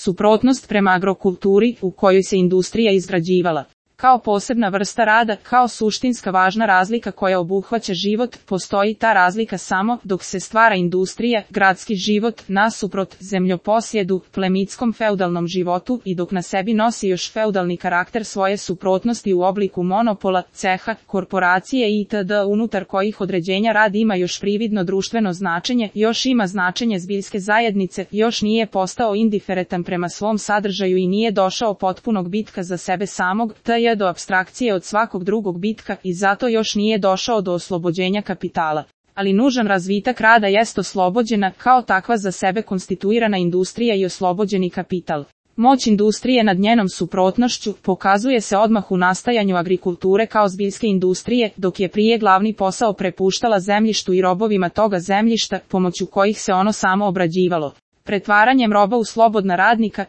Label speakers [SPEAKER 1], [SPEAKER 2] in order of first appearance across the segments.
[SPEAKER 1] suprotnost prema agrokulturi u kojoj se industrija izgrađivala. Kao posebna vrsta rada, kao suštinska važna razlika koja obuhvaća život, postoji ta razlika samo dok se stvara industrija, gradski život, nasuprot zemljoposjedu, plemitskom feudalnom životu i dok na sebi nosi još feudalni karakter svoje suprotnosti u obliku monopola, ceha, korporacije itd. Unutar kojih određenja rad ima još prividno društveno značenje, još ima značenje zbiljske zajednice, još nije postao indiferentan prema svom sadržaju i nije došao potpunog bitka za sebe samog, do apstrakcije od svakog drugog bitka i zato još nije došao do oslobođenja kapitala. Ali nužan razvitak rada jest oslobođena, kao takva za sebe konstituirana industrija i oslobođeni kapital. Moć industrije nad njenom suprotnošću pokazuje se odmah u nastajanju agrikulture kao zbiljske industrije, dok je prije glavni posao prepuštala zemljištu i robovima toga zemljišta, pomoću kojih se ono samo obrađivalo. Pretvaranjem roba u slobodna radnika,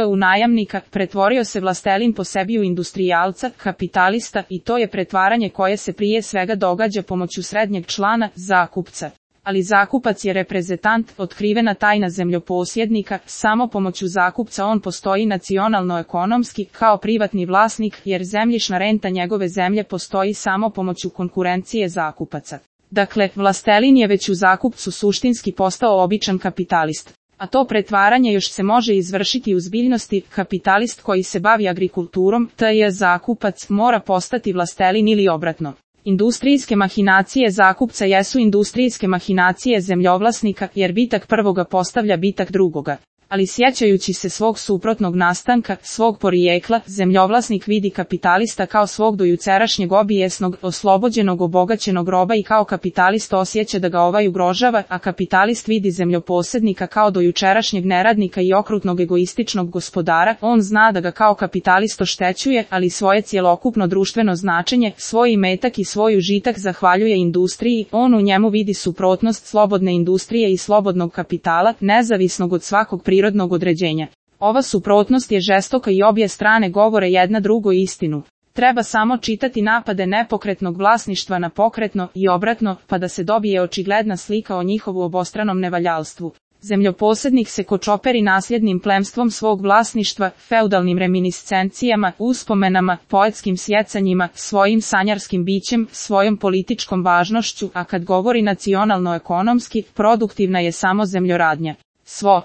[SPEAKER 1] u najamnika, pretvorio se vlastelin po sebi u industrijalca, kapitalista i to je pretvaranje koje se prije svega događa pomoću srednjeg člana, zakupca. Ali zakupac je reprezentant, otkrivena tajna zemljoposjednika, samo pomoću zakupca on postoji nacionalno-ekonomski kao privatni vlasnik jer zemljišna renta njegove zemlje postoji samo pomoću konkurencije zakupaca. Dakle, vlastelin je već u zakupcu suštinski postao običan kapitalist. A to pretvaranje još se može izvršiti u zbiljnosti, kapitalist koji se bavi agrikulturom, zakupac, mora postati vlastelin ili obratno. Industrijske mahinacije zakupca jesu industrijske mahinacije zemljovlasnika, jer bitak prvoga postavlja bitak drugoga. Ali sjećajući se svog suprotnog nastanka, svog porijekla, zemljovlasnik vidi kapitalista kao svog dojučerašnjeg obijesnog, oslobođenog obogaćenog roba i kao kapitalist osjeća da ga ovaj ugrožava, a kapitalist vidi zemljoposjednika kao dojučerašnjeg neradnika i okrutnog egoističnog gospodara, on zna da ga kao kapitalist oštećuje, ali svoje cjelokupno društveno značenje, svoj imetak i svoj užitak zahvaljuje industriji, on u njemu vidi suprotnost slobodne industrije i slobodnog kapitala, nezavisnog od svakog prirodnog određenja. Ova suprotnost je žestoka i obje strane govore jedna drugoj istinu. Treba samo čitati napade nepokretnog vlasništva na pokretno i obratno, pa da se dobije očigledna slika o njihovu obostranom nevaljalstvu. Zemljoposjednik se kočoperi nasljednim plemstvom svog vlasništva, feudalnim reminiscencijama, uspomenama, poetskim sjecanjima, svojim sanjarskim bićem, svojom političkom važnošću, a kad govori nacionalno-ekonomski, produktivna je samo zemljoradnja. Svo